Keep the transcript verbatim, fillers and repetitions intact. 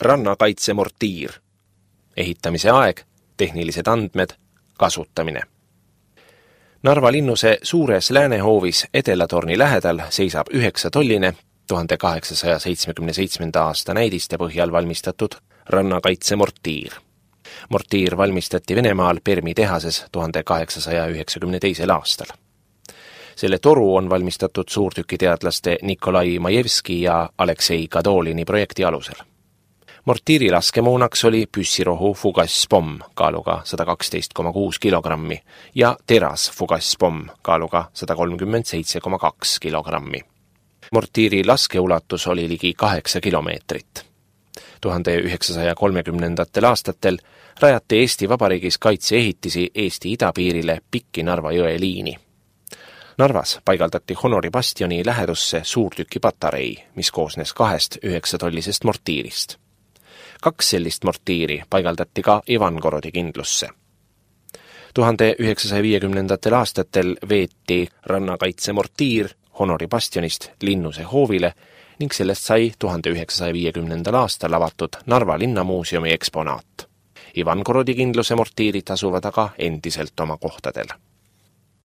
rannakaitsemortiir. Ehitamise aeg, tehnilised andmed, kasutamine. Narva linnuse suures läänehoovis Edelatorni lähedal seisab üheksatolline tuhande kaheksasaja seitsmekümne seitsmenda aasta näidiste põhjal valmistatud rannakaitsemortiir. Mortiir valmistati Venemaal Permi tehases tuhande kaheksasaja üheksakümne teisel aastal. Selle toru on valmistatud suurtükiteadlaste Nikolai Majevski ja Aleksei Kadolini projekti alusel. Mortiiri laskemoonaks oli püssirohu fugasspomm kaaluga sada kaksteist koma kuus kilogrammi ja teras fugasspomm kaaluga sada kolmkümmend seitse koma kaks kilogrammi. Mortiiri laskeulatus oli ligi kaheksa kilomeetrit. tuhande üheksasaja kolmekümnendatel aastatel rajati Eesti Vabariigis kaitseehitisi Eesti idapiirile pikki Narva jõe liini. Narvas paigaldati Honori bastioni lähedusse suurtükipatarei, mis koosnes kahest üheksatollisest mortiirist. Kaks sellist mortiiri paigaldati ka Ivangorodi kindlusse. tuhande üheksasaja viiekümnendatel aastatel veeti rannakaitsemortiir Honori bastionist Linnuse hoovile ning sellest sai tuhande üheksasaja viiekümnendal aastal avatud Narva linnamuuseumi eksponaat. Ivangorodi kindluse mortiirid asuvad aga endiselt oma kohtadel.